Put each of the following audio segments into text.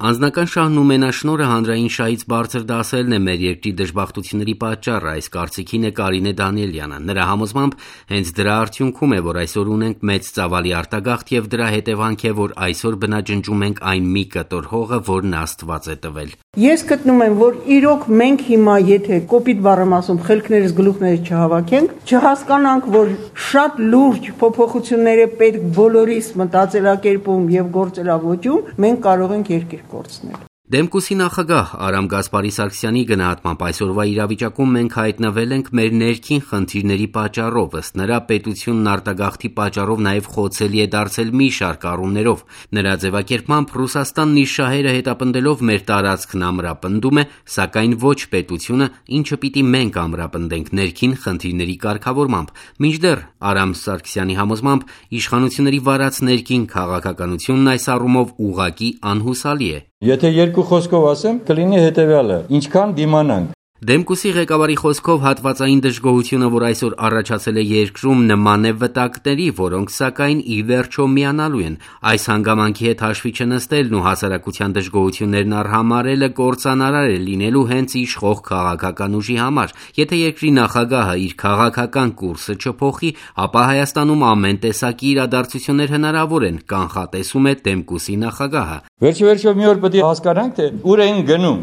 Անձնական շահն ու մենաշնորհը հանրային շահից բարձր դասելն է մեր երկրի դժբախտությունների պատճառը, այս կարծիքին է Կարինե Դանիելյանը։ Նրա համոզմամբ հենց դրա արդյունքում է, որ այսօր ունենք մեծ ծավալի արտագաղթ եւ դրա հետևանք է, որ այսօր բնաջնջում ենք այն մի կտոր հողը, որն Աստված է տվել։ Ես գտնում եմ, որ իրոք մենք հիմա եթե կոպիտ բառեմ ասում, խելքներս գլուխներս չհավաքենք, չհասկանանք, որ շատ լուրջ փոփոխություններ է պետք բոլորիս մտածելակերպում եւ գործելավոճում, մենք կարող ենք երկիր կորցնել։ Դեմկուսի նախագահ Արամ Գասպարի Սարգսյանի գնահատմամբ այսօրվա իրավիճակում մենք հայտնվել ենք մեր ներքին խնդիրների պատճառով, ըստ նրա պետությունն արտագաղթի պատճառով նաև խոցելի է դարձել մի շարք առումներով։ Նրա ձևակերպմամբ Ռուսաստանն իր շահերը հետապնդելով մեր տարածքն ամրապնդում է, սակայն ոչ պետությունը, ինչը պիտի մենք ամրապնդենք ներքին խնդիրների կարգավորմամբ։ Մինչդեռ Արամ Սարգսյանի համոզմամբ իշխանությունների վարած ներքին քաղաքականությունն այս առումով ուղղակի անհուսալի է։ Եթե երկու խոսքով ասեմ, կլինի հետևյալը. ինչքան դիմանանք։ Դեմկուսի ղեկավարի խոսքով հատվածային դժգոհությունը, որ այսօր առաջացել է երկրում, նման է վտակների, որոնք սակայն ի վերջո միանալու են։ Այս հանգամանքի հետ հաշվի չնստելն ու հասարակության դժգոհություններն արհամարելը կործանարար է լինելու հենց իշխող քաղաքական ուժի համար։ Եթե երկրի նախագահը իր քաղաքական կուրսը չփոխի, ապա Հայաստանում ամեն տեսակի իրադարձություններ հնարավոր են, կանխատեսում է Դեմկուսի նախագահը։ Վերջիվերջո մի օր պետք է հասկանանք, թե ուր են գնում։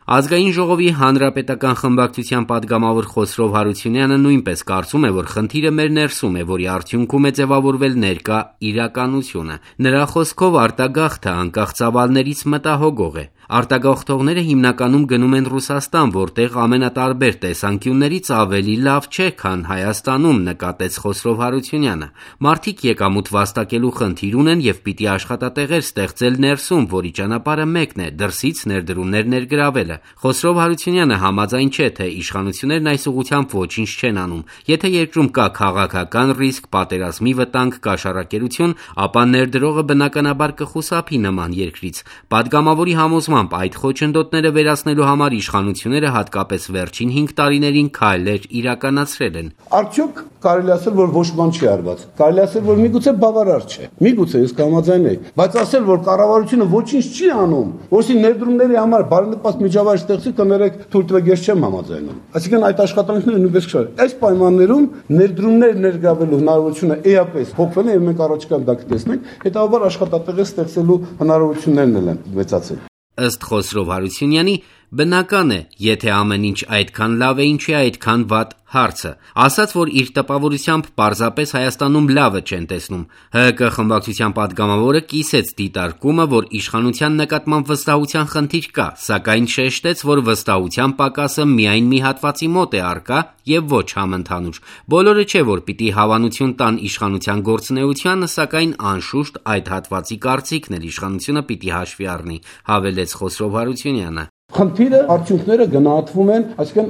Ազգային ժողովի հանրապետական խմբակցության падգամավոր Խոսրով Հարությունյանը նույնպես կարծում է, որ խնդիրը մեր ներսում է, որի արդյունքում է ձևավորվել ներկա իրականությունը։ Նրա խոսքով արտագաղթը անկախ ծավալներից մտահոգող է։ Արտագաղթողները հիմնականում գնում են Ռուսաստան, որտեղ ամենատարբեր տեսանկյուններից ավելի լավ չէ, քան Հայաստանում, նկատեց Խոսրով Հարությունյանը։ Մարդիկ եկամուտ վաստակելու խնդիր ունեն եւ պիտի աշխատատեղեր ստեղծել ներսում, որի ճանապարհը մեկն է՝ դրսից ներդրումներ ներգրավելը։ Խոսրով Հարությունյանը համաձայն չէ, թե իշխանություններն այս ուղղությամբ ոչինչ չեն անում։ Եթե երկրում կա քաղաքական ռիսկ, պատերազմի վտանգ, կաշառակերություն, ապա ներդրողը բնականաբար կխուսափի նման երկրից։ Падգամավորի համոզմամբ այդ խոչընդոտները վերացնելու համար իշխանությունները հատկապես վերջին 5 տարիներին քայլեր իրականացրել են։ Արդյոք կարելի ասել, որ ոչ բան չի արված։ Կարելի ասել, որ միգուցե բավարար չէ։ Միգուցե ես կհամաձայն եի, բայց ասել, որ կառավարությունը ոչինչ չի անում, որովհետեւ ներդրումների համար բարենպաստ միջավայր ստեղծի, կներեք, թույլ տվեք, ես չեմ համաձայնում։ Այսինքն այդ աշխատանքները նույնպես քշար։ Այս պայմաններում ներդրումներ ներգրավելու հնարավորությունը էապես փոխվել է եւ մենք առաջիկայում դա կտեսնենք, հետաբար աշխատատեղեր ստեղծելու հնարավորություններն են մեծացել։ Ըստ Խոսրով Հարությունյանի, բնական է, եթե ամեն ինչ այդքան լավ է, ինչի այդքան վատ հարցը։ Ասաց, որ իր տպավորությամբ պարզապես Հայաստանում լավը չեն տեսնում։ ՀՀԿ խմբակցության падգամավորը կիսեց դիտարկումը, որ իշխանության նկատմամբ վստահության խնդիր կա, սակայն շեշտեց, որ վստահության պակասը միայն մի հատվածի մոտ է առկա եւ ոչ համընդհանուր։ Բոլորը չէ, որ պիտի հավանություն տան իշխանության գործունեությանը, սակայն անշուշտ այդ հատվածի կարծիքն էլ իշխանությունը պիտի հաշվի առնի, հավելեց Խոսրով Հարությունյանը։ Խնդիրը արդյունքները գնահատվում են, այսինքն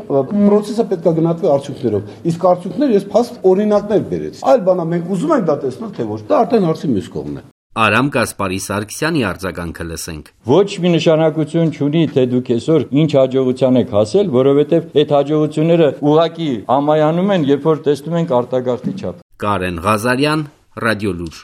process-ը պետք է գնահատվի արդյունքներով։ Իսկ արդյունքները ես փաստ օրինակներ բերեցի։ Այլ բանա մենք ուզում ենք դա տեսնել, թե ոչ։ Դա արդեն հարցի մյուս կողմն է։ Արամ Գասպարի Սարգսյանի արձագանքը լսենք։ Ոչ մի նշանակություն չունի, թե դուք այսօր ինչ հաջողության եք հասել, որովհետև այդ հաջողությունները ուղղակի ամայանում են, երբ որ տեսնում ենք արտագաղթի չափ։ Կարեն Ղազարյան, Ռադիոլուր։